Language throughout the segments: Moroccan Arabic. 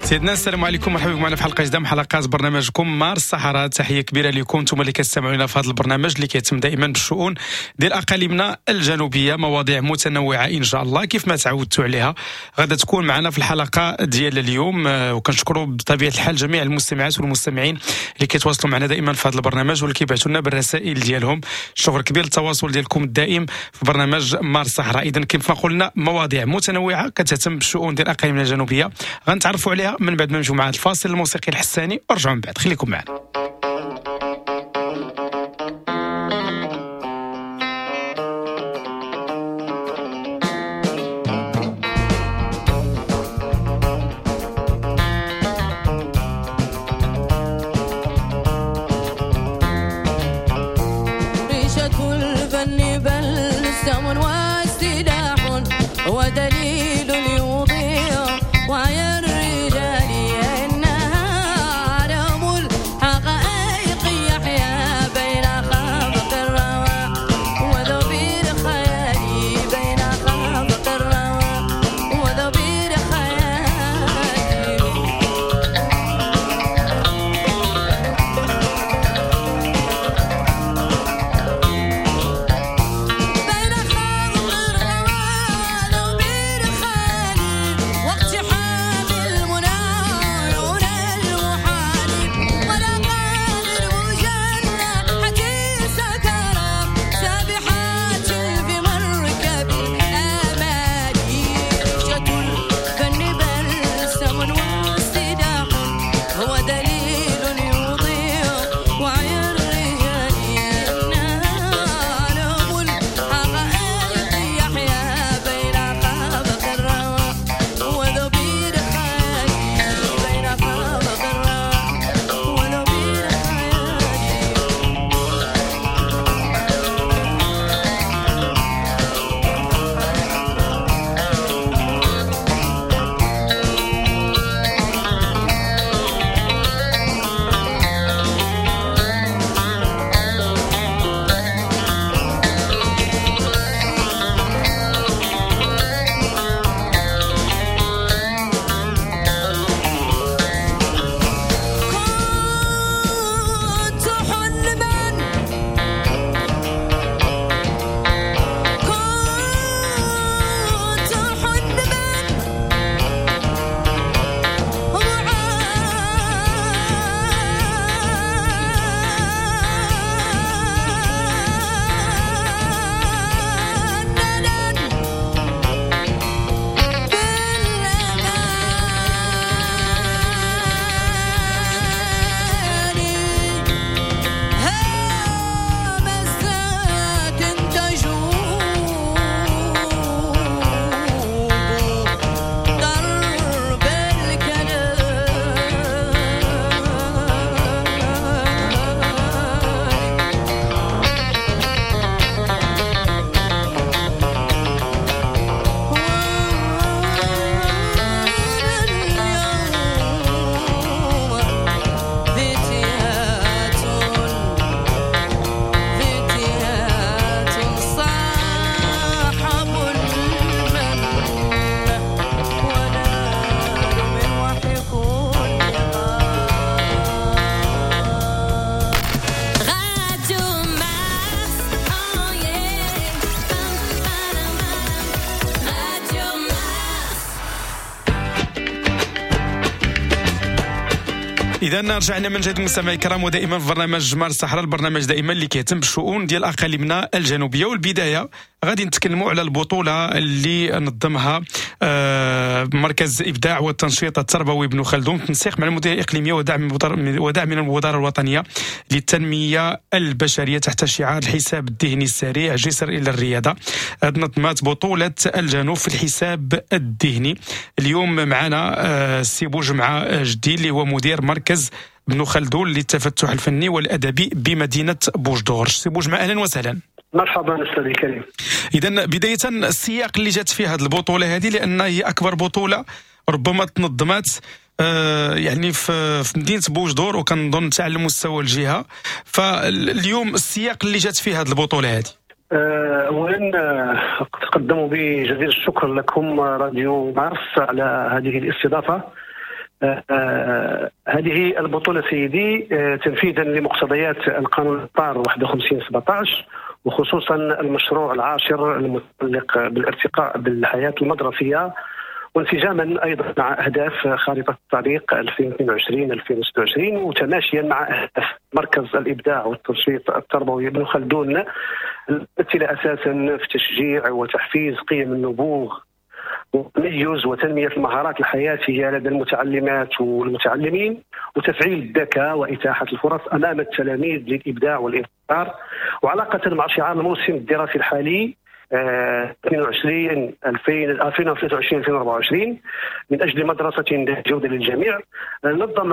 سيدنا السلام عليكم، مرحبا بكم معنا في حلقة جديدة من حلقات برنامجكم مارس الصحراء. تحية كبيرة لكم انتم اللي كتستمعوا لنا في هذا البرنامج اللي كيتم دائما بالشؤون ديال اقاليمنا الجنوبية، مواضيع متنوعة ان شاء الله كيف ما تعودتوا عليها غادا تكون معنا في الحلقة ديال اليوم. وكنشكروا بطبيعة الحال جميع المستمعات والمستمعين اللي كيتواصلوا معنا دائما في هذا البرنامج واللي كيبعثوا لنا بالرسائل ديالهم. شكر كبير للتواصل ديالكم الدائم في برنامج مارس الصحراء. اذا كيف ما قلنا مواضيع متنوعة كتهتم بالشؤون ديال اقاليمنا الجنوبية، غنتعرفوا عليها من بعد ما نمشيو مع الفاصل الموسيقي الحساني ورجعوا من بعد، خليكم معنا. ريشة الفن بلسم واستداح ودليل يضيع وعي الرجال، إنها عالم الحقائق يحيا بين خافق الروى وذبير خيالي، بين خافق الروى وذبير خيالي. بين خافق الروى وذبير خيالي، واقتحام المنى نور المحال، ولا قادر مجنحة سكرى سابحات في مركب الآمال. ريشة الفن بلسم واستداح هو دليل يضيع وعي الرجال، إنها عالم الحقائق يحيا بين خافق الروى وذبير خيالي، بين خافق الروى وذبير خيالي. كنت حلما، كنت حلما معننا بالأماني، همسات تجوب درب الكلام. واليوم فتيات فتيات صاحب المن ونال من وحي كل غار. Radio Mars, oh yeah. Radio Mars. اذا رجعنا من جديد مستمعي الكرام، ودائما في برنامج مارس الصحراء، البرنامج دائما اللي كيهتم بالشؤون ديال اقاليمنا الجنوبية. والبداية غادي نتكلموا على البطولة اللي نظمها مركز ابداع والتنشيط التربوي ابن خلدون بالتنسيق مع المديرية الاقليمية ودعم من المبادرة الوطنية للتنمية البشرية تحت شعار الحساب الذهني السريع جسر الى الرياضة. نظمت بطوله الجنوب في الحساب الذهني. اليوم معنا السي بوجمعه جدي اللي هو مدير مركز ابن خلدون للتفتح الفني والادبي بمدينة بوجدور. سي بوجمعه اهلا وسهلا. مرحبا استاذ الكريم. اذا بداية السياق اللي جات فيه هذه البطولة هذه، لان هي اكبر بطوله ربما تنظمت يعني في مدينة بوجدور، وكنظن حتى على مستوى الجهة. فاليوم السياق اللي جات فيه هذه البطولة هذه. اولا أتقدم بجزيل الشكر لكم راديو مارس على هذه الاستضافة. هذه البطولة سيدي تنفيذا لمقتضيات القانون الإطار 51.17، وخصوصا المشروع العاشر المتعلق بالارتقاء بالحياة المدرسية، وانسجاما ايضا مع اهداف خارطة الطريق 2022-2026، وتماشيا مع اهداف مركز الابداع والتنشيط التربوي ابن خلدون، الممثلة اساسا في تشجيع وتحفيز قيم النبوغ والتميز وتنميه المهارات الحياتية لدى المتعلمات والمتعلمين، وتفعيل الذكاء واتاحة الفرص امام التلاميذ للابداع والابتكار. وعلاقة مع شعار الموسم الدراسي الحالي 22 2023 2024 من اجل مدرسه ذات جوده للجميع، نظم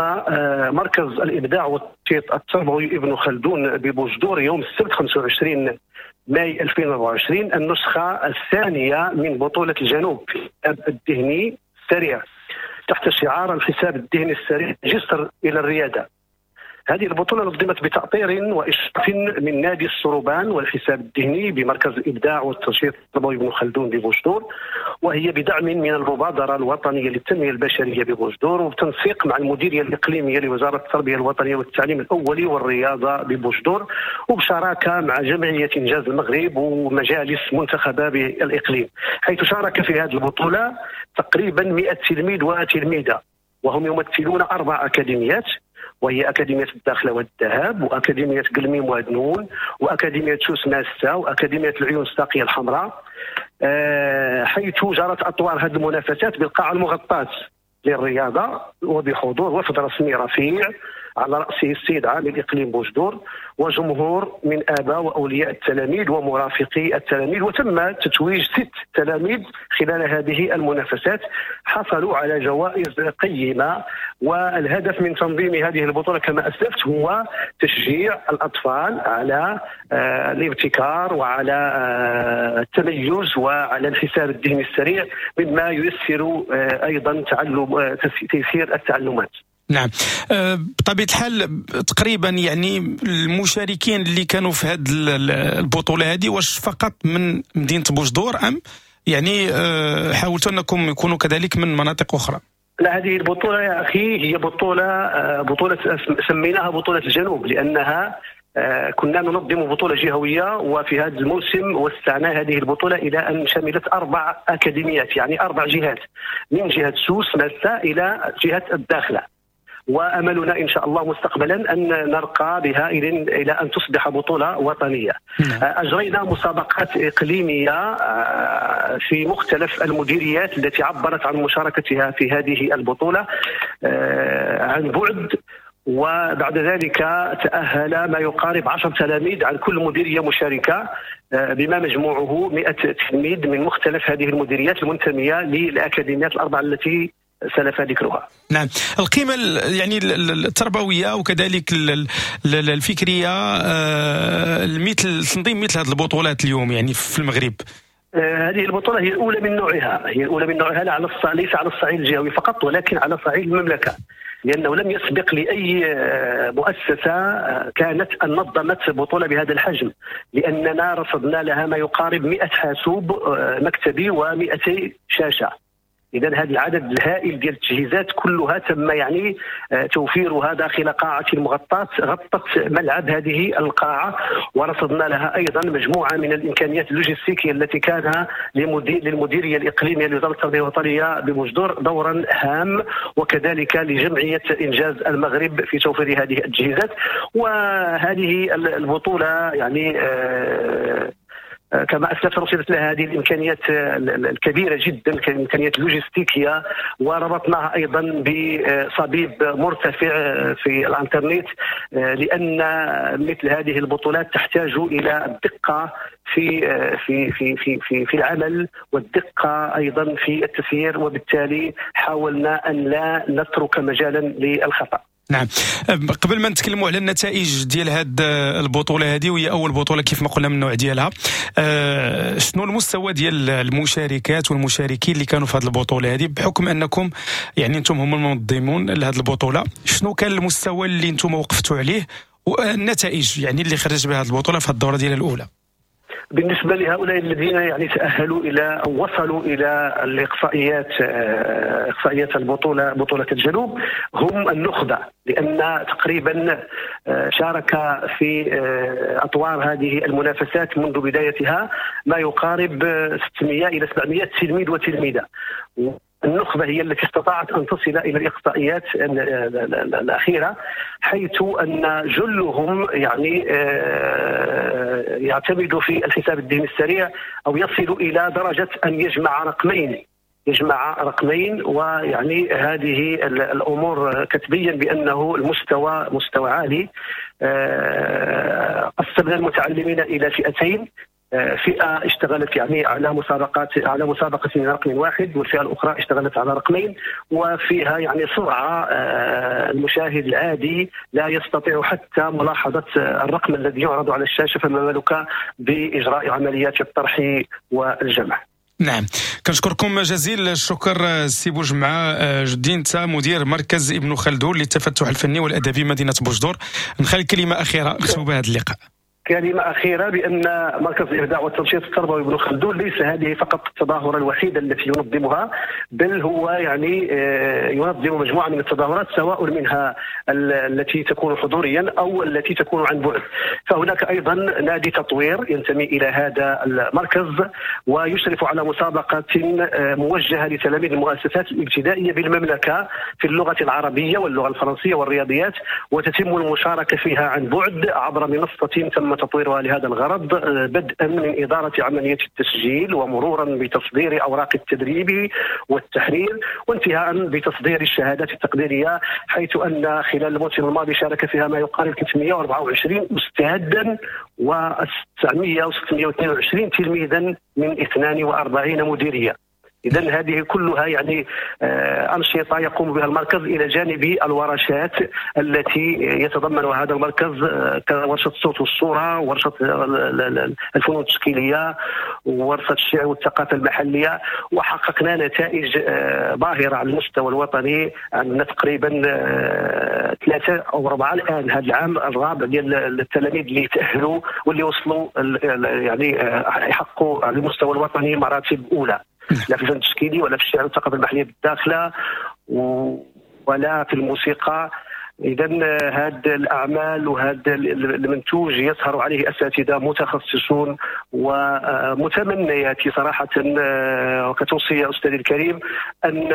مركز الابداع والتنشيط التربوي ابن خلدون ببوجدور يوم السبت 25 ماي 2024 النسخة الثانية من بطوله الجنوب في الحساب الذهني السريع تحت شعار الحساب الذهني السريع جسر الى الرياده. هذه البطولة نظمت بتأطير وإشراف من نادي السروبان والحساب الذهني بمركز الإبداع والتنشيط التربوي ابن خلدون ببوجدور، وهي بدعم من المبادرة الوطنية للتنمية البشرية ببوجدور، وبتنسيق مع المديرية الإقليمية لوزارة التربية الوطنية والتعليم الأولي والرياضة ببوجدور، وبشراكة مع جمعية إنجاز المغرب ومجالس منتخبة بالإقليم، حيث شارك في هذه البطولة تقريبا 100 تلميذ وتلميذة، وهم يمثلون 4 أكاديميات، وهي أكاديمية الداخلة والذهب، وأكاديمية قلميم وادنون، وأكاديمية سوس ماستا، وأكاديمية العيون الساقية الحمراء، حيث جرت أطوار هذه المنافسات بالقاعة المغطاة للرياضة وبحضور وفد رسمي رفيع على رأسه السيد عامل إقليم بوجدور وجمهور من آباء وأولياء التلاميذ ومرافقي التلاميذ. وتم تتويج 6 تلاميذ خلال هذه المنافسات حصلوا على جوائز قيمة. والهدف من تنظيم هذه البطولة كما أسلفت هو تشجيع الأطفال على الابتكار وعلى التميز وعلى الحساب الذهني السريع، مما ييسر أيضا تعلم تيسير التعلمات. نعم، بطبيعة الحال تقريبا يعني المشاركين اللي كانوا في هذه البطولة هذه واش فقط من مدينة بوجدور أم يعني حاولتوا أنكم يكونوا كذلك من مناطق أخرى؟ لا، هذه البطولة يا أخي هي بطولة سميناها بطولة الجنوب، لأنها كنا ننظم بطولة جهوية، وفي هذا الموسم وسعنا هذه البطولة إلى أن شملت 4 أكاديميات، يعني 4 جهات، من جهة سوس ماسا إلى جهة الداخلة. وأملنا إن شاء الله مستقبلا أن نرقى بها إلى أن تصبح بطولة وطنية. أجرينا مسابقات إقليمية في مختلف المديريات التي عبرت عن مشاركتها في هذه البطولة عن بعد، وبعد ذلك تأهل ما يقارب 10 تلاميذ عن كل مديرية مشاركة، بما مجموعة 100 تلميذ من مختلف هذه المديريات المنتمية للأكاديميات الأربع التي سلف ذكرها. نعم، القيمة يعني التربوية وكذلك الفكرية مثل تنظيم مثل هذه البطولات اليوم يعني في المغرب. هذه البطولة هي الأولى من نوعها، هي الأولى من نوعها ليس على الصعيد الجهوي فقط، ولكن على صعيد المملكة، لأنه لم يسبق لأي مؤسسة كانت أن نظمت بطولة بهذا الحجم، لأننا رصدنا لها ما يقارب 100 حاسوب مكتبي و200 شاشة. إذن هذا العدد الهائل ديال التجهيزات كلها تم يعني توفيرها داخل قاعة مغطاة غطت ملعب هذه القاعة، ورصدنا لها أيضا مجموعة من الإمكانيات اللوجستيكية التي كان للمديرية الإقليمية لوزارة التربية الوطنية ببوجدور دورا هام، وكذلك لجمعية إنجاز المغرب في توفير هذه التجهيزات. وهذه البطولة يعني كما أسلفت رصدت لها هذه الإمكانيات الكبيرة جدا، الإمكانيات اللوجستيكية، وربطناها أيضا بصبيب مرتفع في الإنترنت، لأن مثل هذه البطولات تحتاج إلى الدقة في في في في في, في العمل، والدقة أيضا في التسيير، وبالتالي حاولنا أن لا نترك مجالا للخطأ. نعم، قبل ما نتكلموا على النتائج ديال هاد البطولة هذه، وهي أول بطولة كيف ما قلنا من النوع ديالها، شنو المستوى ديال المشاركات والمشاركين اللي كانوا في هذه البطولة هذه، بحكم أنكم يعني أنتم هم المنظمون لهذه البطولة، شنو كان المستوى اللي أنتم وقفتوا عليه والنتائج يعني اللي خرج بها هذه البطولة في الدورة ديالها الأولى؟ بالنسبة لهؤلاء الذين يعني تأهلوا إلى أو وصلوا إلى الإقصائيات، إقصائيات البطولة، بطولة الجنوب، هم النخبة، لأن تقريبا شارك في أطوار هذه المنافسات منذ بدايتها ما يقارب 600 إلى 700 تلميذ وتلميذة. النخبة هي التي استطاعت أن تصل إلى الإقصائيات الأخيرة، حيث أن جلهم يعني يعتمد في الحساب الذهني السريع أو يصل إلى درجة أن يجمع رقمين، ويعني هذه الأمور كتبين بأنه المستوى مستوى عالي. قسمنا المتعلمين إلى فئتين، فئة اشتغلت يعني على مسابقة من رقم واحد، والفئة الأخرى اشتغلت على رقمين، وفيها يعني سرعة المشاهد العادي لا يستطيع حتى ملاحظة الرقم الذي يعرض على الشاشة، فما بالك بإجراء عمليات الطرح والجمع. نعم، كنشكركم جزيل الشكر سي بوجمعة جدين تا مدير مركز ابن خلدون للتفتح الفني والأدبي مدينة بوجدور. نخلي كلمة أخيرة نختم بها هذا اللقاء. كلمة أخيرة بأن مركز الإبداع والتنشيط التربوي ابن خلدون ليس هذه فقط التظاهرة الوحيدة التي ينظمها، بل هو يعني ينظم مجموعة من التظاهرات، سواء منها التي تكون حضوريا أو التي تكون عن بعد. فهناك أيضا نادي تطوير ينتمي إلى هذا المركز ويشرف على مسابقة موجهة لتلاميذ المؤسسات الابتدائية بالمملكة في اللغة العربية واللغة الفرنسية والرياضيات، وتتم المشاركة فيها عن بعد عبر منصة تم تطويرها لهذا الغرض، بدءا من إدارة عملية التسجيل ومرورا بتصدير أوراق التدريب والتحرير، وانتهاء بتصدير الشهادات التقديرية، حيث أن خلال الموسم الماضي شارك فيها ما يقارب 324 أستاذا و900 تلميذا من 42 مديرية. إذن هذه كلها يعني أنشطة يقوم بها المركز إلى جانب الورشات التي يتضمنها هذا المركز، كورشة الصوت والصورة، ورشة الفنون التشكيلية، وورشة الشعر والثقافة المحلية. وحققنا نتائج باهرة على المستوى الوطني، عندنا تقريبا 3 أو 4 الآن هذا العام الرابع ديال التلاميذ اللي تأهلوا واللي وصلوا يعني يحققوا على المستوى الوطني مراتب أولى، لا في الفن التشكيلي ولا في الشعر والثقافة المحلية بالداخلة ولا في الموسيقى. إذن هذه الأعمال وهذا المنتوج يسهر عليه أساتذة متخصصون، ومتمنياتي صراحة وكتوصية أستاذي الكريم أن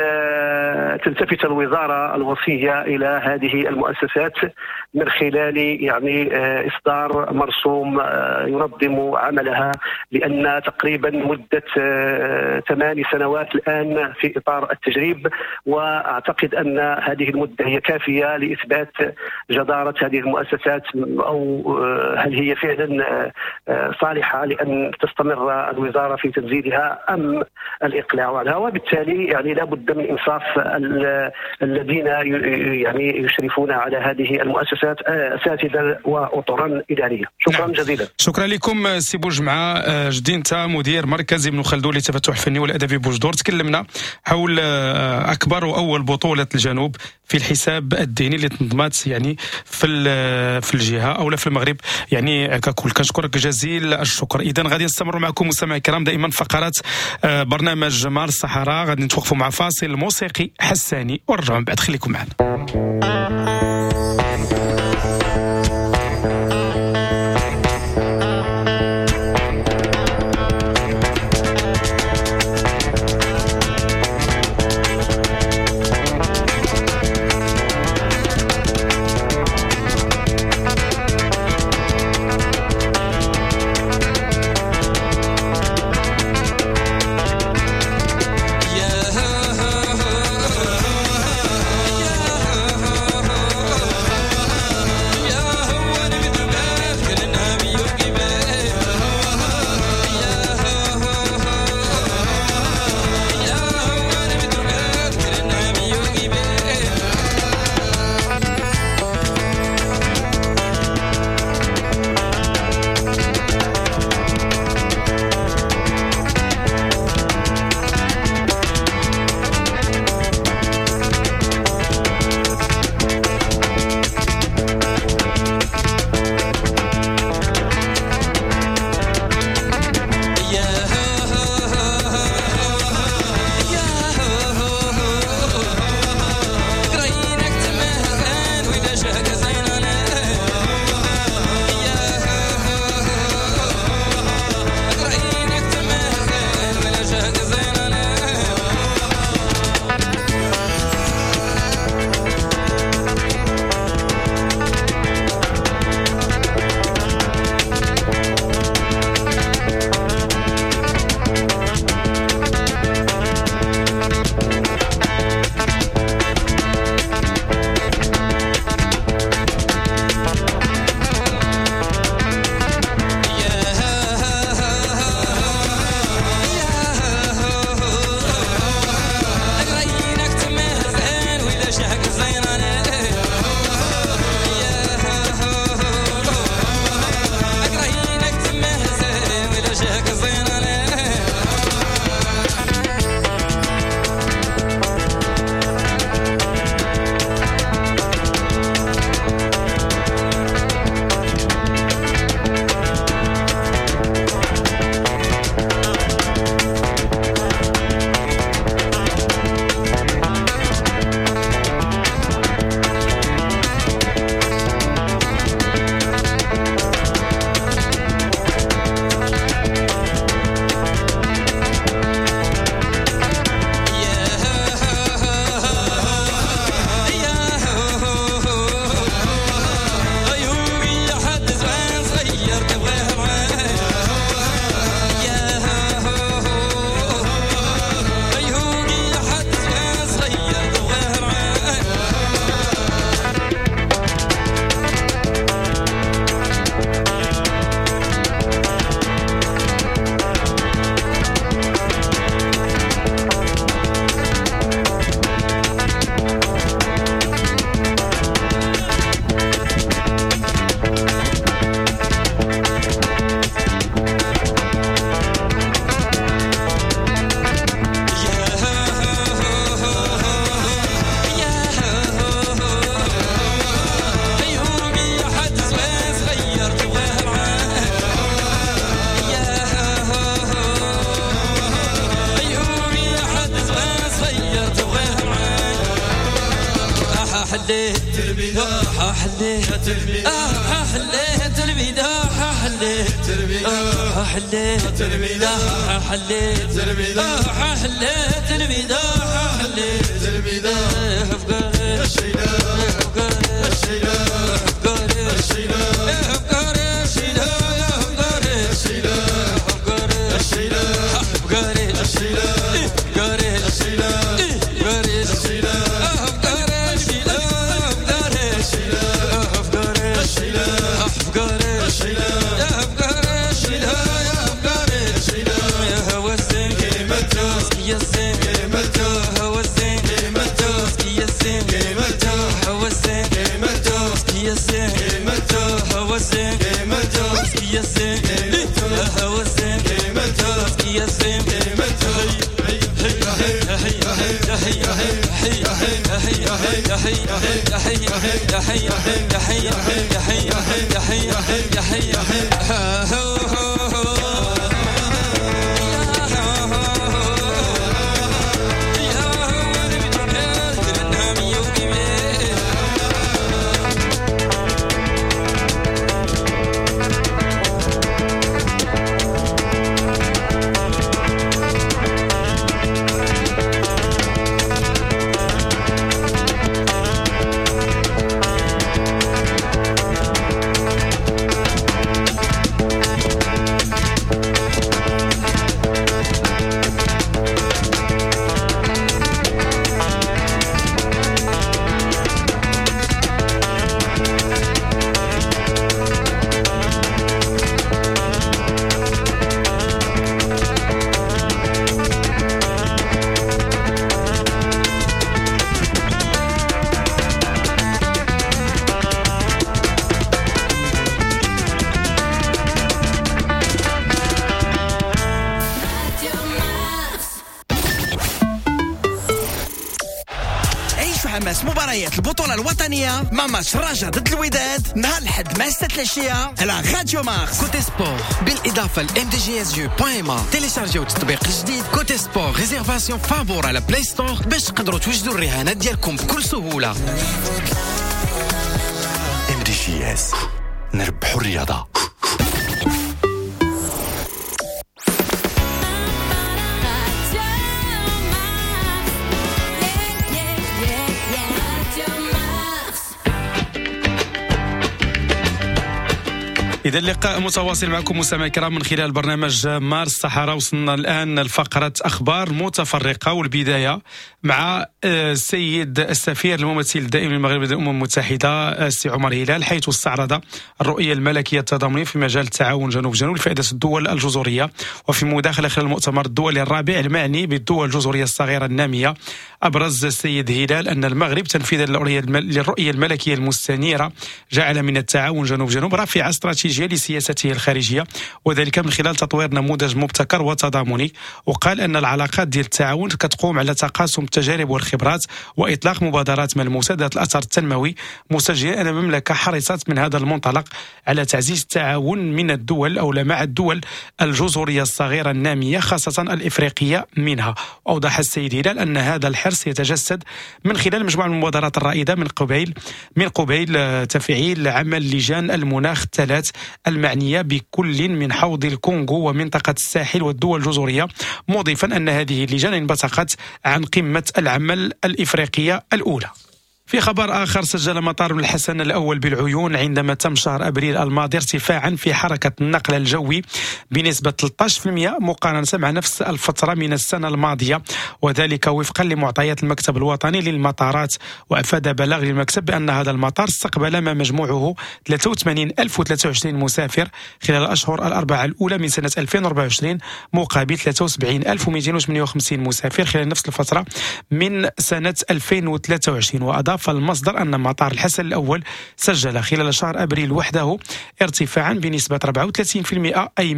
تلتفت الوزارة الوصية إلى هذه المؤسسات من خلال يعني إصدار مرسوم ينظم عملها، لأن تقريبا مدة 8 سنوات الآن في إطار التجريب، وأعتقد أن هذه المدة هي كافية لإثبات جدارة هذه المؤسسات، أو هل هي فعلا صالحة لأن تستمر الوزارة في تنزيلها أم الإقلاع عنها. وبالتالي يعني لا بد من إنصاف الذين يعني يشرفون على هذه المؤسسات أساتذة وأطرا إدارية. شكرا. نعم. جزيلا. شكرا لكم سي بوجمعة جدينتا مدير مركز ابن خلدون للتفتح الفني والأدبي بوجدور. تكلمنا حول أكبر وأول بطولة الجنوب في الحساب الديني اللي تنظمات يعني في الجهة او لا في المغرب يعني ككل. كنشكرك جزيل الشكر. اذا غادي نستمروا معكم مستمعي الكرام دائما فقرات برنامج مار الصحراء. غادي نتوقفوا مع فاصل موسيقي حساني ونرجعوا من بعد، خليكم معنا. يا مباريات البطولة الوطنية مع ماتش الرجاء ضد الوداد نهار الأحد مع 6 العشية على راديو مارس. Cote Sport بالإضافة ل mdgsu.ma. تيليشارجيو التطبيق الجديد Cote Sport réservation فابور على Play Store باش تقدروا توجدوا الرهانات ديالكم بكل سهولة. MDJS نربحوا الرياضة. إذا اللقاء متواصل معكم مستمعي الكرام من خلال برنامج مارس الصحراء. وصلنا الآن لفقرة أخبار متفرقة، والبداية مع السيد السفير الممثل الدائم للمغرب لدى الأمم المتحدة السي عمر هلال، حيث استعرض الرؤية الملكية التضامنية في مجال التعاون جنوب جنوب لفائدة الدول الجزرية. وفي مداخلة خلال المؤتمر الدولي الرابع المعني بالدول الجزرية الصغيرة النامية، أبرز السيد هلال أن المغرب تنفيذا للرؤية الملكية المستنيرة جعل من التعاون جنوب جنوب رافعة استراتيجية لسياسته الخارجية، وذلك من خلال تطوير نموذج مبتكر وتضامني. وقال أن العلاقات ديال التعاون كتقوم على تقاسم التجارب والخبرات وإطلاق مبادرات ملموسة ذات الأثر التنموي، مسجلا أن المملكة حرصت من هذا المنطلق على تعزيز التعاون من الدول أو مع الدول الجزرية الصغيرة النامية خاصة الإفريقية منها. أوضح السيد هلال أن هذا الحرص يتجسد من خلال مجموعة من المبادرات الرائدة من قبيل تفعيل عمل لجان المناخ الثلاث المعنية بكل من حوض الكونغو ومنطقة الساحل والدول الجزرية، مضيفا أن هذه اللجان انبثقت عن قمة العمل الإفريقية الأولى. في خبر آخر، سجل مطار الحسن الأول بالعيون عندما تم شهر أبريل الماضي ارتفاعا في حركة النقل الجوي بنسبة 13% مقارنة مع نفس الفترة من السنة الماضية، وذلك وفقا لمعطيات المكتب الوطني للمطارات. وأفاد بلاغ للمكتب بأن هذا المطار استقبل ما مجموعه 83,023 مسافر خلال الأشهر الأربعة الأولى من سنة 2024 مقابل 73,258 مسافر خلال نفس الفترة من سنة 2023. وأضاف المصدر أن مطار الحسن الأول سجل خلال شهر أبريل وحده ارتفاعا بنسبة 34%، أي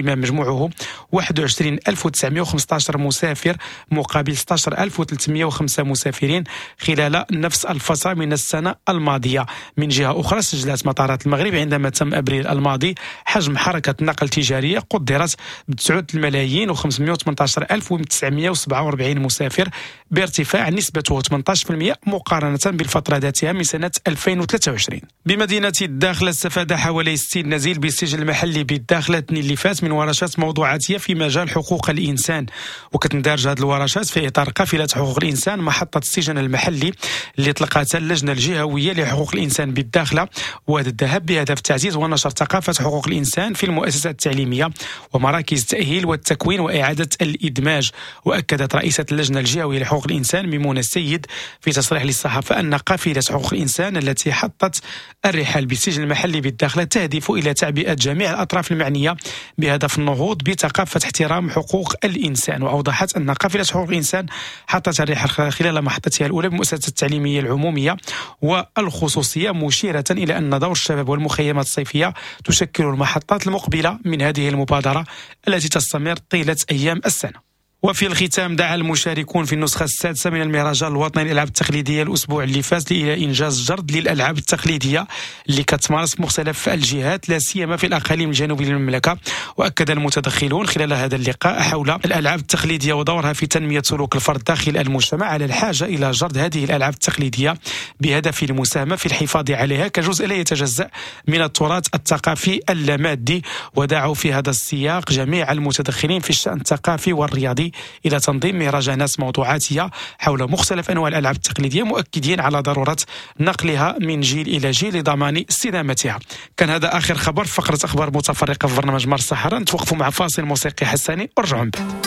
ما مجموعه 21,915 مسافر مقابل 16,305 مسافرين خلال نفس الفترة من السنة الماضية. من جهة أخرى، سجلت مطارات المغرب عندما تم أبريل الماضي حجم حركة نقل تجارية قدرت ب 9,518,947 مسافر بارتفاع نسبته 18% مقارنة مقارنة بالفترة ذاتها من سنة 2023. بمدينة الداخلة استفاد حوالي 60 نزيل بالسجن المحلي بالداخلة الاثنين اللي فات من ورشات موضوعاتية في مجال حقوق الإنسان، وكتندرج هذه الورشات في إطار قافلة حقوق الإنسان محطة السجن المحلي اللي طلقتها اللجنة الجهوية لحقوق الإنسان بالداخلة واد الذهب بهدف تعزيز ونشر ثقافة حقوق الإنسان في المؤسسات التعليمية ومراكز التأهيل والتكوين وإعادة الإدماج. وأكدت رئيسة اللجنة الجهوية لحقوق الإنسان ميمونة السيد في تصريح للصحافة أن قافلة حقوق الإنسان التي حطت الرحال بالسجن المحلي بالداخلة تهدف إلى تعبئة جميع الأطراف المعنية بهدف النهوض بثقافة احترام حقوق الإنسان. وأوضحت أن قافلة حقوق الإنسان حطت الرحال خلال محطتها الأولى بمؤسسة التعليمية العمومية والخصوصية، مشيرة إلى أن دور الشباب والمخيمات الصيفية تشكل المحطات المقبلة من هذه المبادرة التي تستمر طيلة أيام السنة. وفي الختام، دعا المشاركون في النسخة السادسة من المهرجان الوطني للألعاب التقليدية الأسبوع اللي فات إلى إنجاز جرد للألعاب التقليدية اللي كتمارس في مختلف الجهات، لا سيما في الأقاليم الجنوبية للمملكة. وأكد المتدخلون خلال هذا اللقاء حول الألعاب التقليدية ودورها في تنمية سلوك الفرد داخل المجتمع على الحاجة إلى جرد هذه الألعاب التقليدية بهدف المساهمة في الحفاظ عليها كجزء لا يتجزأ من التراث الثقافي اللامادي. ودعوا في هذا السياق جميع المتدخلين في الشأن الثقافي والرياضي إلى تنظيم مهرجانات موضوعاتية حول مختلف أنواع الألعاب التقليدية، مؤكدين على ضرورة نقلها من جيل إلى جيل لضمان استدامتها. كان هذا آخر خبر في فقرة أخبار متفرقة في برنامج مارس الصحراء. نتوقفوا مع فاصل موسيقي حساني ورجعوا من بعد.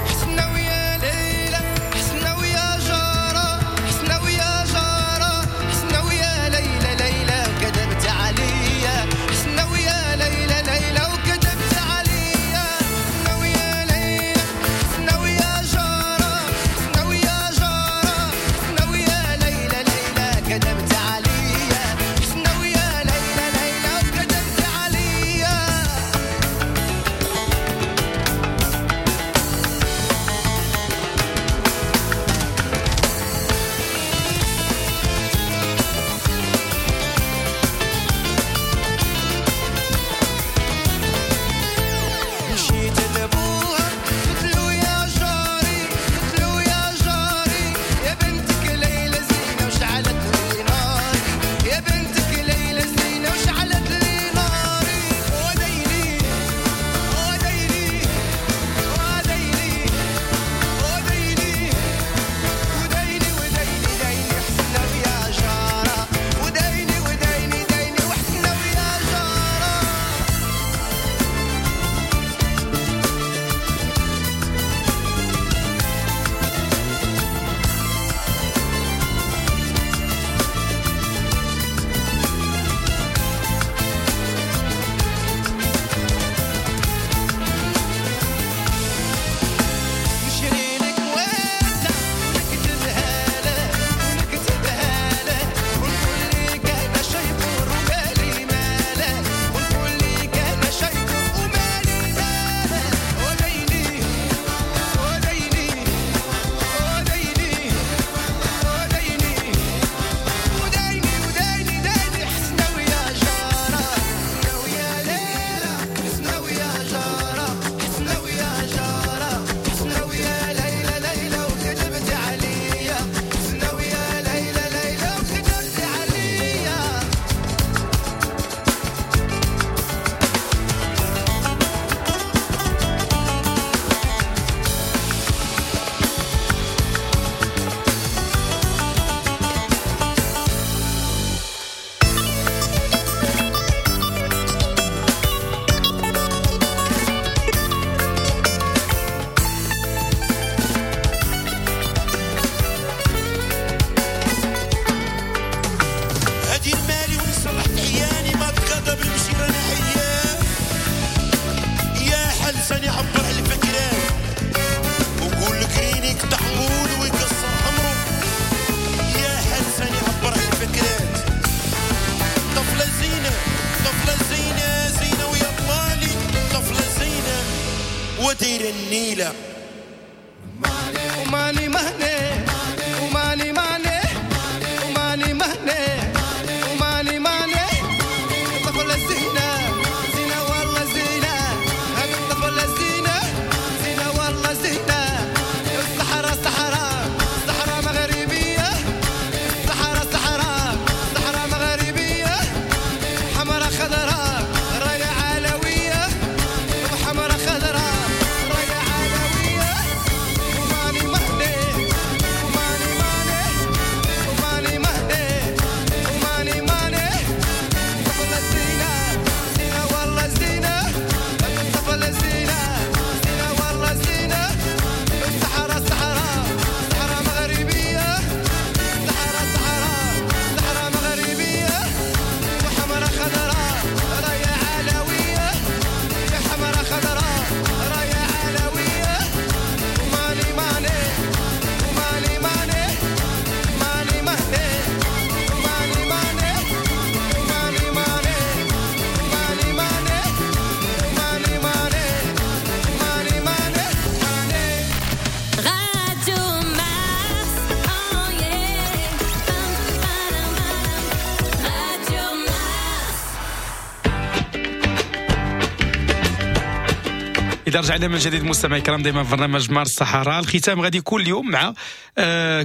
حسنا ويا ليلى، حسنا ويا جارة، حسنا ويا جارة. ودير النيلة. وماني مهني وماني ماني وماني مهني وماني ماني الطفلة زينة زينة والله زينة، هذه الطفلة زينة زينة والله زينة. الصحراء صحراء صحراء مغربية، الصحراء صحراء صحراء مغربية، حمراء خضراء راية علوية، وحمراء خضراء راية علوية. وماني مهني وماني ماني وماني مهني وماني ماني الطفلة زينة زينة والله زينة، الطفلة زينة زينة والله زينة. الصحراء صحراء صحراء مغربية، الصحراء صحراء صحراء مغربية، وحمراء خضراء راية علوية، يا حمراء خضراء راية علوية. وماني ماني وماني ماني ماني مهني وماني ماني وماني ماني وماني ماني وماني ماني وماني ماني ماني. Radio Mars, oh yeah. Radio Mars. اذا رجعنا من جديد مستمعي الكرام دائما في برنامج مارس الصحراء. الختام غادي يكون اليوم مع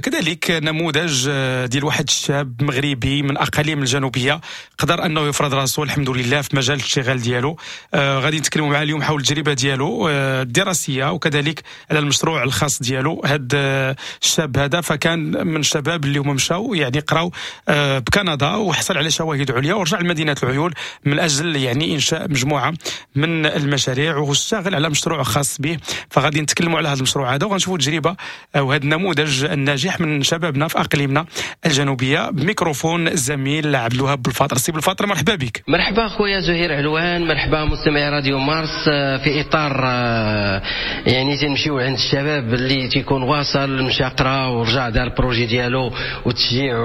كذلك نموذج ديال واحد الشاب مغربي من اقاليم الجنوبية قدر انه يفرض راسه الحمد لله في مجال الاشتغال ديالو. غادي نتكلموا معاه اليوم حول التجربة ديالو الدراسية وكذلك على المشروع الخاص ديالو. هذا الشاب هذا فكان من الشباب اللي هما مشاو يعني قراو بكندا وحصل على شواهد عليا ورجع لمدينة العيون من اجل يعني انشاء مجموعة من المشاريع واشتغل على مشروع خاص به. فغادي نتكلموا على هذا المشروع هذا وغنشوفوا التجربة وهذا النموذج الناجح من شبابنا في اقاليمنا الجنوبية. بميكروفون الزميل عبد الوهاب بالفاطر. سي بالفاطر مرحبا بك. مرحبا خويا زهير علوان، مرحبا مستمعي راديو مارس. في اطار يعني تنمشيو عند الشباب اللي تيكون واصل مشى قرا ورجع دار ال projet ديالو وتشجيع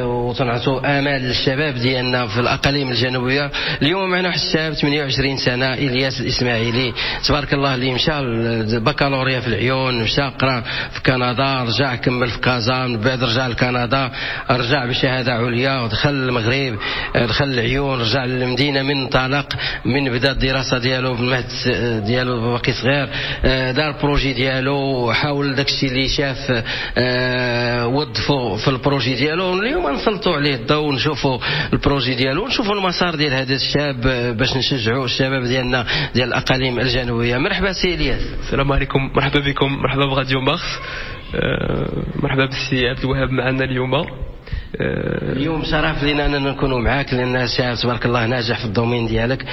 وتنعطوا امال للشباب ديالنا في الاقاليم الجنوبية. اليوم معنا واحد الشاب 28 سنة، الياس الاسماعيلي، تبارك الله، اللي مشى البكالوريا في العيون، مشى قرا في كندا، رجع كمل في كازا، من بعد رجع لكندا، رجع بشهادة عليا ودخل المغرب، دخل العيون، رجع للمدينة من انطلق من بدا الدراسة ديالو بالمهد ديالو باقي صغير، دار projet ديالو، حاول داكشي اللي شاف وظفو في ال projet ديالو. اليوم نسلطوا عليه الضوء ونشوفوا ال projet ديالو ونشوفوا المسار ديال هذا الشاب باش نشجعوا الشباب ديالنا ديال الاقاليم الجنوبية. مرحبا سي الياس. السلام عليكم، مرحبا بكم، مرحبا براديو مارس، مرحبا بالسي عبد الوهاب معنا اليوم. اليوم شرف لنا اننا نكونوا معاك لان شاب تبارك الله ناجح في ال domaine ديالك.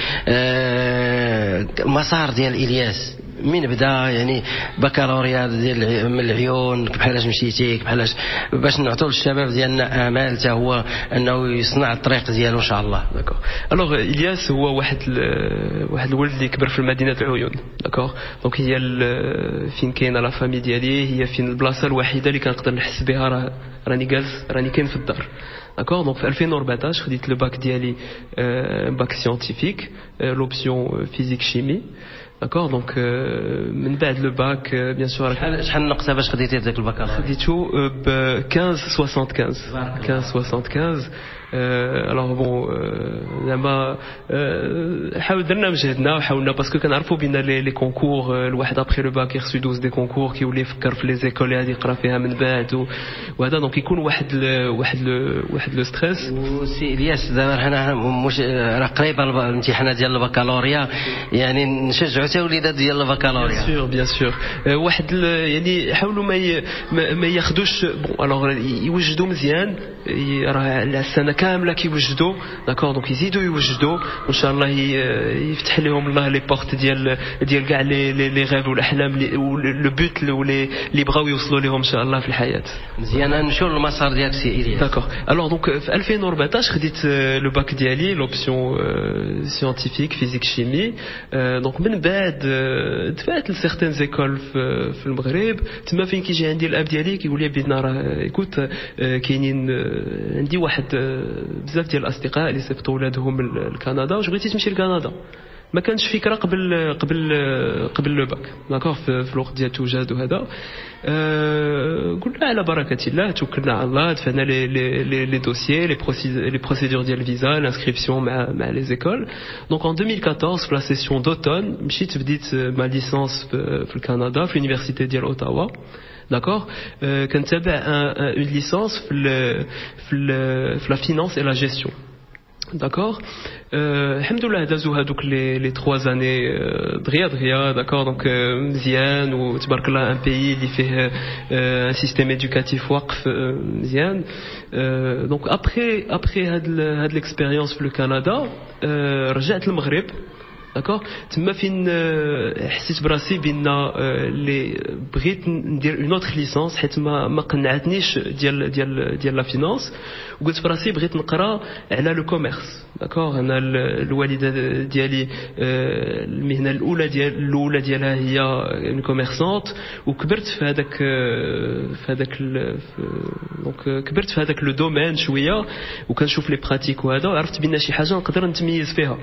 المسار ديال الياس من بدا يعني بكالوريا ديال من العيون، بحالاش مشيتي، بحالاش باش نعطوا للشباب ديالنا امال حتى هو انه يصنع الطريق ديالو ان شاء الله. d'accord. alors الياس هو واحد الولد اللي كبر في مدينة العيون. d'accord. donc هي فين كاينه la famille ديالي، هي فين البلاصة الوحيدة اللي كنقدر نحس بها راه راني جالس، راني كاين في الدار. d'accord. donc في 2014 خديت le bac ديالي، bac scientifique، l'option physique chimie. d'accord. donc من بعد le bac bien sûr. شحال النقطة باش خديتي داك البكالوريا؟ خديتو ب 15.75. 15.75. alors bon زعما حاول درنا مجهدنا وحاولنا parce que كنعرفوا بان les concours الواحد après le bac خصو يدوز des concours كيولي يفكر في les écoles اللي غادي يقرا فيها من بعد وهذا. donc يكون واحد le stress. وسي الياس دابا حنا مش راه قريبه الامتحانات ديال البكالوريا، يعني نشجعوا حتى وليدات ديال البكالوريا. bien sûr bien sûr. واحد يعني حاولوا ما ياخذوش bon alors يوجدوا مزيان، راه السنة كاملة كيوجدوا. d'accord. donc يزيدوا يوجدوا وان شاء الله يفتح لهم الله les portes ديال كاع les rêves والاحلام le but اللي بغاو يوصلوا لهم ان شاء الله في الحياة. مزيان. نمشيو للمسار ديالك سي الياس. d'accord. alors donc في 2014 خديت le bac ديالي l'option scientifique physique chimie. donc من بعد دفعت ل certaines écoles في المغرب. تما فين كيجي عندي الاب ديالي كيقول لي بيدنا راه écoute كاينين عندي واحد بزاف ديال الاصدقاء اللي صيفطوا ولادهم لكندا، واش بغيتي تمشي لكندا؟ ما كانش فكرة قبل le bac، d'accord، في الوقت ديال التوجاد وهذا. قلنا على بركة الله، توكلنا على الله، دفعنا les dossiers، les procédures ديال الفيزا، l'inscription مع les écoles. donc en 2014 في la session d'automne مشيت بديت ma licence في الكندا، في l'université ديال اوتاوا، d'accord. كنتابع une licence في la finance et la gestion، d'accord. الحمد لله دازو هادوك les 3 années دغيا دغيا، d'accord. donc مزيان وتبارك الله، un pays اللي فيه un système éducatif واقف مزيان. donc après هاد l'expérience في الكندا رجعت للمغرب، d'accord. تما فين حسيت براسي بان اللي بغيت ندير une autre licence، حيت ما قنعتنيش ديال la finance، وقلت براسي بغيت نقرا على le commerce، d'accord. انا الوالدة ديالي المهنة الاولى ديالها هي une commerçante، وكبرت في هذاك، donc كبرت في هذاك le domaine شويه، وكنشوف les pratiques وهذا، وعرفت بان شي حاجة نقدر نتميز فيها،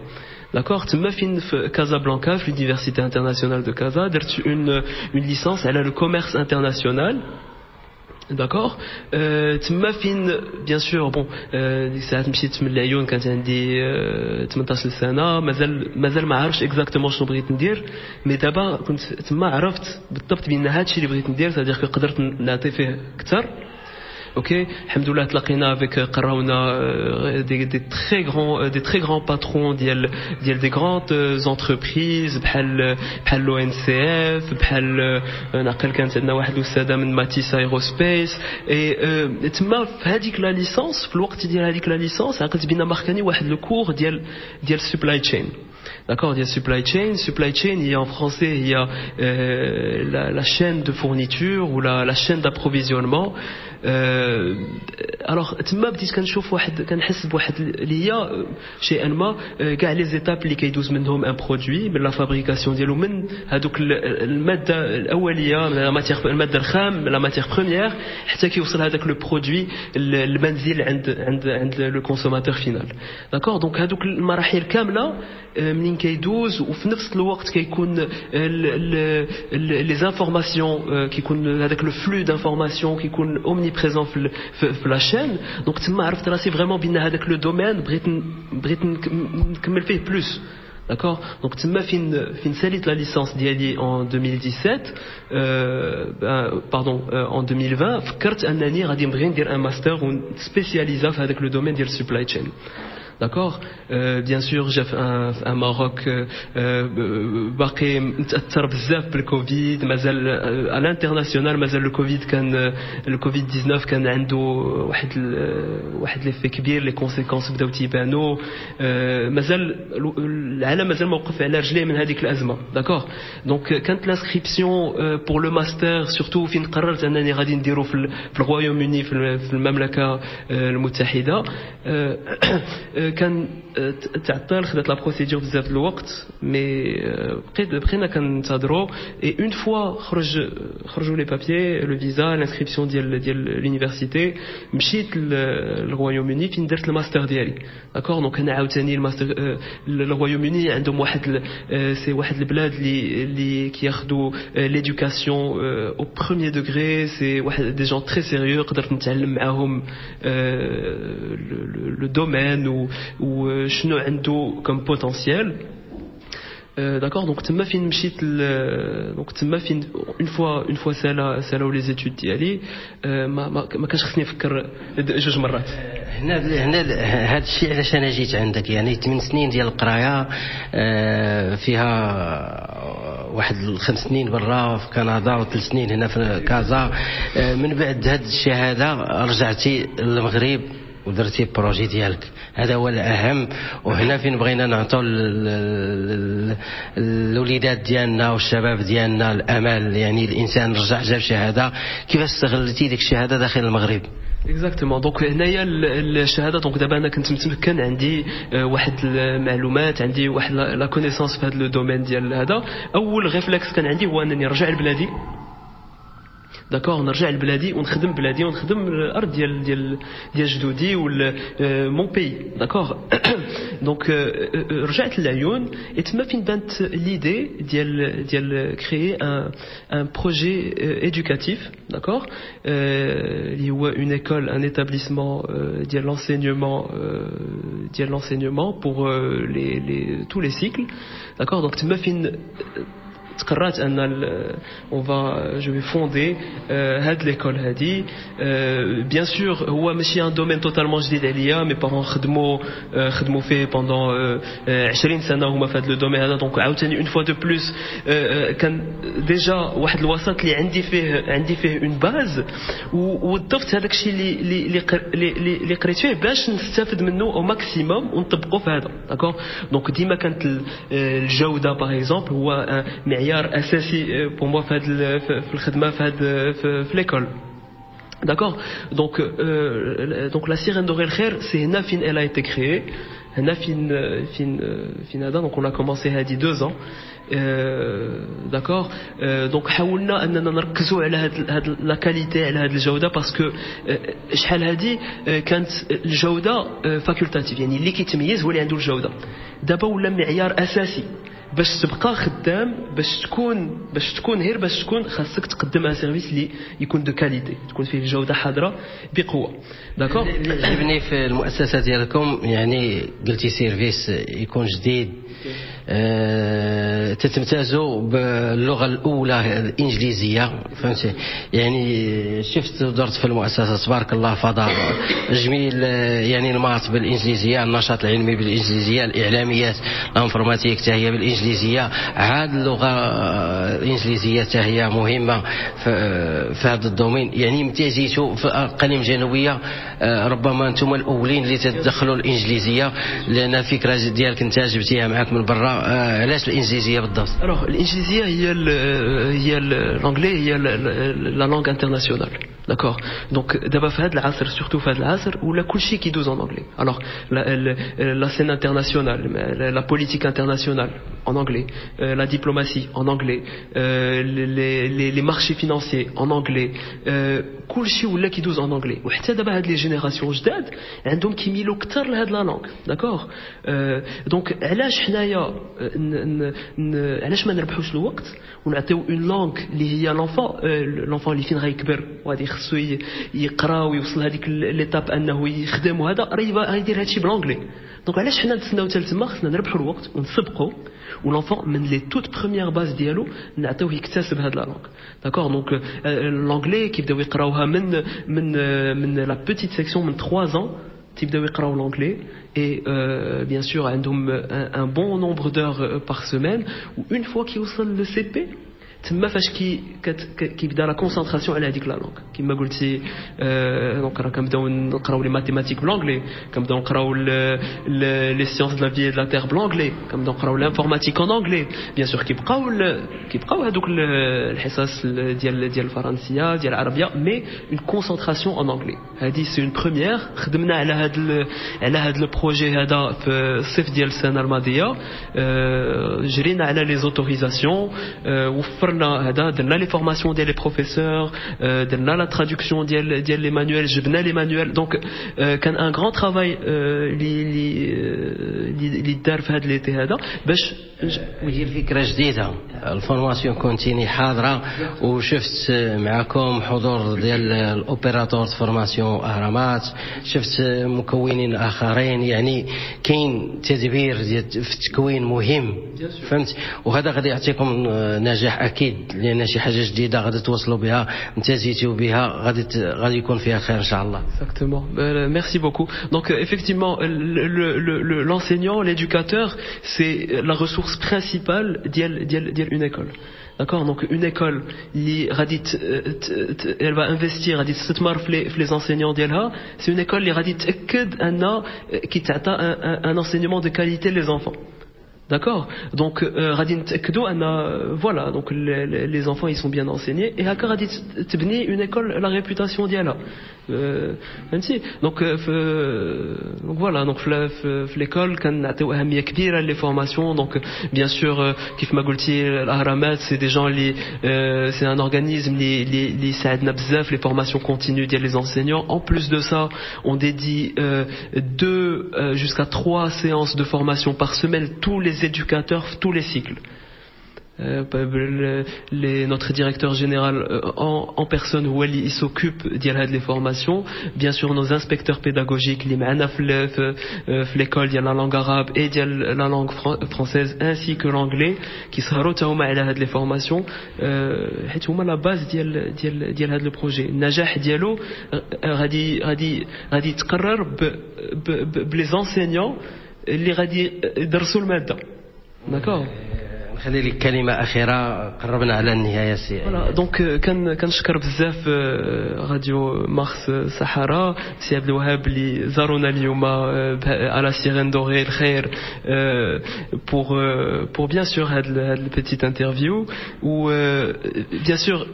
d'accord. تما فين في كازابلانكا، في l'université internationale de Casa، درت une licence على le commerce international، d'accord. تما فين bien sûr، bon، ديك الساعات مشيت من العيون، كانت عندي 18 سنه، مازال ما عارفش exactement شنو بغيت ندير، mais دابا كنت تما عرفت بالضبط بان هادشي اللي بغيت ندير، c'est-à-dire قدرت نعطي فيه اكثر. ok، الحمد لله تلاقينا avec قراونا des très grands patrons ديال des grandes entreprises بحال l'ONCF، بحال نعقل كانت عندنا واحد الاستاذة من Matis Aerospace. et تما في هذيك la licence، في الوقت ديال هذيك la licence، عقلت بان ماركاني واحد le cours ديال supply chain. D'accord, il y a supply chain. Supply chain, il y a en français, il y a la chaîne de fourniture ou la chaîne d'approvisionnement. Alors تما بديت كنشوف واحد، كنحس بواحد اللي هي شيئا ما كاع les étapes اللي كيدوز منهم un produit من la fabrication ديالو، من هذوك المادة الاوليه، من la matière، المادة الخام، la matière première، حتى كيوصل هذاك le produit المنزل عند le consommateur final، d'accord. donc هذوك المراحل كاملة منين كيدوز، وفي نفس الوقت كيكون les informations، كيكون هذاك le flux d'informations كيكون omniprésent في la chaîne. donc تما عرفت راسي vraiment بان هذاك le domaine بغيت نكمل فيه plus، d'accord. donc تما فين ساليت la licence ديالي en 2017، pardon، en 2020، فكرت انني غادي نبغي ندير un master ونسبيسياليزا في هذاك le domaine ديال supply chain، d'accord. bien sûr جا في un Maroc باقي متاثر بزاف بالكوفيد، مازال à l'international مازال الكوفيد، كان الكوفيد 19 كان عنده واحد l'effet كبير، les conséquences بداو تيبانو، مازال العالم مازال موقف على رجليه من هذيك الازمه، d'accord. donc كانت l'inscription pour le master surtout فين قررت انني غادي نديرو في ال Royaume-Uni، في المملكة المتحده، كان تعطل، خدات la procédure بزاف الوقت، mais بقينا كنتهضروا، et une fois خرجوا les papiers، le visa، l'inscription ديال l'université، مشيت لل Royaume-Uni فين درت الماستر ديالي، d'accord. donc هنا عاوتاني الماستر، ال Royaume-Uni عندهم واحد، c'est واحد البلاد اللي كياخذوا l'éducation au premier degré، c'est واحد des gens très sérieux، قدرت نتعلم معاهم le domaine وشنو عنده comme potentiel، d'accord. donc تما فين مشيت، donc تما فين une fois سالاو les études ديالي، ما كانش خصني نفكر جوج مرات. هنا هذا الشيء علاش انا جيت عندك، يعني 8 سنين ديال القراية فيها واحد 5 سنين برا في كندا و3 سنين هنا في كازا. من بعد هذه الشهادة رجعتي للمغرب ودرتي projet ديالك، هذا هو الاهم. وهنا فين بغينا نعطوا الوليدات ديالنا والشباب ديالنا الامل، يعني الانسان رجع جاب شهاده، كيفاش استغلتي ديك الشهادة داخل المغرب؟ exactement. donc هنايا الشهاده، donc دابا انا كنت متمكن، عندي واحد المعلومات، عندي واحد la connaissance في هذا le domaine ديال هذا. اول réflexe كان عندي هو انني نرجع لبلادي. d'accord، نرجع لبلادي ونخدم بلادي ونخدم الارض ديال ديال ديال جدودي ولا mon pays، d'accord. donc رجعت للعيون، تما فين بانت l'idée ديال créer un projet éducatif، d'accord، اللي هو une école، un établissement ديال l'enseignement pour les tous les cycles، d'accord. donc تما فين تقررت ان on va je vais fonder هاد l'école هادي. bien sûr هو ماشي un domaine totalement جديد عليا، mes parents خدموا فيه pendant 20 سنه هما في هاد le domaine هذا. donc عاوتاني une fois de plus كان déjà واحد الوسط اللي عندي فيه une base، وضفت هذاك الشيء اللي قريت فيه باش نستافد منه au maximum ونطبقه في هذا، d'accord. donc ديما كانت الجوده par exemple هو معيار اساسي pour moi في هاد في الخدمه في هاد في l'école، D'accord. Donc la Sirène dorée الخير, c'est هنا فين elle a été créée. هنا فين هذا، donc on a commencé هادي 2 ans. D'accord، donc حاولنا اننا نركزوا على هاد la qualité، على هاد الجوده، parce que شحال هادي كانت الجوده facultative، يعني اللي كيتميز هو اللي عنده الجوده. دابا ولا معيار اساسي باش تبقى خدام، باش تكون غير باش تكون، خاصك تقدم un service اللي يكون de qualité، تكون فيه الجوده حاضره بقوه، d'accord. اللي عجبني في المؤسسه ديالكم، يعني قلتي service يكون جديد، تتمتازوا باللغه الاولى الانجليزيه، فهمتي؟ يعني شفت درت في المؤسسه، تبارك الله، فضاء جميل، يعني ال maths بالانجليزيه، النشاط العلمي بالانجليزيه، الاعلاميات، l'informatique حتى هي بالانجليزيه. عاد اللغه الانجليزيه حتى هي مهمه في هذا ال domaine. يعني امتازيتوا في الاقاليم الجنوبيه، ربما انتم الاولين اللي تدخلوا الانجليزيه، لان الفكره ديالك انت جبتيها معاك من برا. علاش الانجليزيه بالضبط؟ Alors الانجليزيه هي l'anglais هي la langue internationale، d'accord. donc دابا في هذا العصر، surtout في هذا العصر، ولا كلشي كيدوز en anglais. alors la scène internationale، la politique internationale en anglais، la diplomatie en anglais، les marchés financiers en anglais، كلشي ولا كيدوز en anglais. وحتى دابا هاد les générations جداد عندهم كيميلوا اكثر لهاد la langue، d'accord. donc علاش حنايا علاش ما نربحوش الوقت ونعطيو une langue اللي هي l'enfant اللي فين غيكبر وغادي خصو يقرا ويوصل هذيك l'étape انه يخدم، وهذا راه غيدير هادشي ب l'anglais. donc علاش حنا نتسناو حتى تما؟ خصنا نربحوا الوقت ونسبقوا، و l'enfant من les toutes premières bases ديالو نعطيوه يكتسب هاد la langue، d'accord. donc l'anglais كيبداو يقراوها من la petite section، من 3 ans تيبداو يقراو l'anglais، et bien sûr عندهم un bon nombre d'heures par semaine. و une fois كيوصل le CP، تما فاش كيبدا la concentration على هذيك la langue كيما قلتي. donc راه كنبداو نقراو les mathématiques ب l'anglais، كنبداو نقراو les sciences de la vie de la terre ب l'anglais، كنبداو نقراو l'informatique en anglais. bien sûr كيبقاو هذوك الحصص ديال الفرنسيه، ديال العربيه، mais une concentration en anglais. هذه c'est une première. خدمنا على هاد le projet هذا في الصيف ديال السنه الماضيه، جرينا على les autorisations، وفرنا هذا، درنا les formations ديال les professeurs، درنا la traduction ديال les manuels، جبنا les manuels. donc كان un grand travail اللي دار في هذا l'été هذا باش هي الفكره جديده، ال formation continue حاضره، وشفت معكم حضور ديال l'opérateur formation اهرامات، شفت مكونين اخرين، يعني كاين تدبير في التكوين مهم، فهمت؟ وهذا غادي يعطيكم نجاح اكيد، لان شي حاجه جديده غادي توصلوا بها، امتازيتوا بها، غادي يكون فيها خير ان شاء الله. Exactement. Merci beaucoup. Donc effectivement, l'enseignant, l'éducateur, c'est la ressource principale ديال une école. D'accord. Donc une école اللي غادي elle va investir، غادي تستثمر في les enseignants ديالها، c'est une école اللي غادي تأكد أن كيتعطى un enseignement de qualité les enfants. D'accord. Donc غادي نتاكدوا ان voilà, donc les enfants, ils sont bien enseignés et هكا غادي تبني une école la réputation ديالها، فهمتي؟ Donc voilà, donc في l'école كنعطيو اهمية كبيرة les formations. donc bien sûr كيف ما قلتي، الاهرامات c'est des gens اللي c'est un organisme اللي ساعدنا بزاف les formations continues ديال les enseignants. en plus de ça, on dédie deux jusqu'à trois séances de formation par semaine, tous les éducateurs, tous les cycles. Notre directeur général en personne هو اللي il s'occupe ديال هاد les formations. bien sûr nos inspecteurs pédagogiques اللي معنا في l'école ديال la langue arabe et ديال la langue française ainsi que l'anglais كيسهروا حتى هما على هاد les formations، حيت هما la base ديال هاد le projet. النجاح ديالو غادي يتقرر ب les enseignants اللي غادي يدرسوا الماده، d'accord؟ نخلي لك كلمة اخيره، قربنا على النهاية سي. voilà، donc كنشكر بزاف راديو مارس صحراء، سي عبد الوهاب اللي زارونا اليوم على Sirène Dorée الخير pour bien sûr هاد ال petite interview. و bien sûr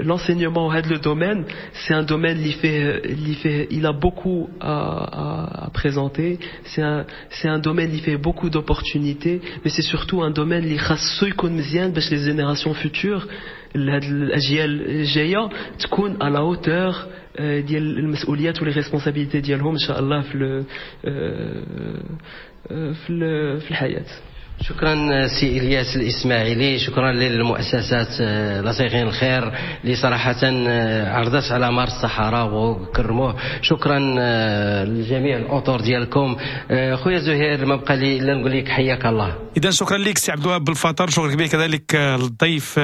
l'enseignement هاد le domaine, c'est un domaine اللي فيه il a beaucoup à présenter. c'est un domaine اللي فيه beaucoup d'opportunités, mais c'est surtout un domaine اللي خاصو يكون مزيان باش les générations futures، هاد الاجيال الجايه، تكون à la hauteur ديال المسؤوليات و les responsabilités ديالهم ان شاء الله في الحياه. شكرا سي الياس الاسماعيلي، شكرا للمؤسسات La Sirène الخير اللي صراحة عرضت على مارس الصحراء وكرموه. شكرا لجميع الاطر ديالكم. خويا زهير، ما بقى لي الا نقول لك حياك الله. اذا شكرا لك سي عبد الوهاب بالفطر، شكرا كبير كذلك للضيف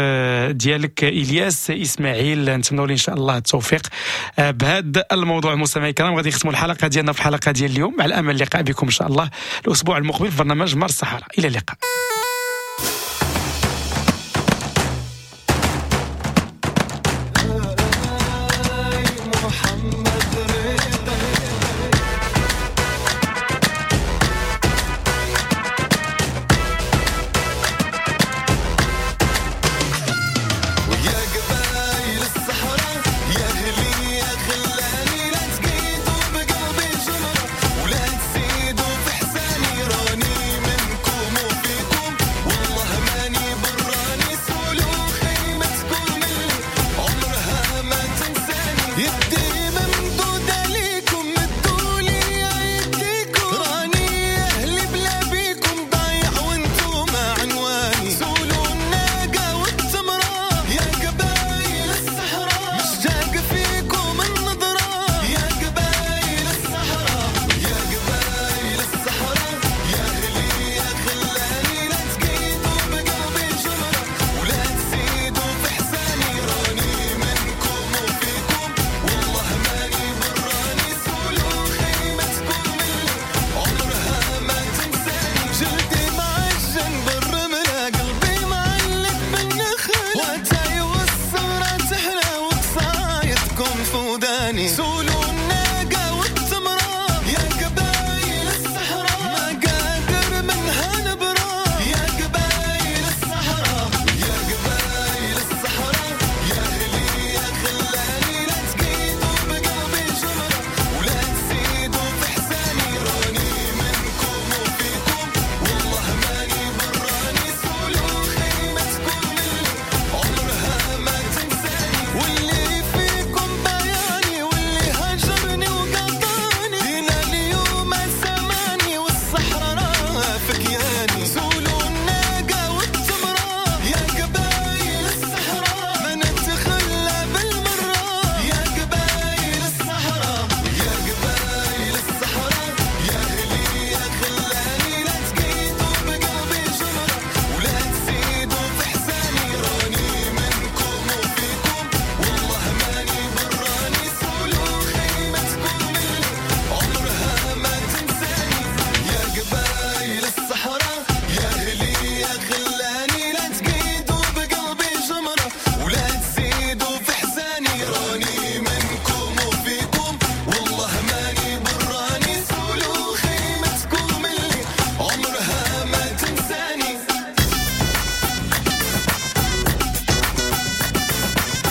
ديالك الياس اسماعيل، نتمنوا له ان شاء الله التوفيق بهذا الموضوع. مستمعي الكرام، غادي نختموا الحلقة ديالنا في الحلقة ديال اليوم، على امل اللقاء بكم ان شاء الله الاسبوع المقبل في برنامج مارس الصحراء. الى اللقاء.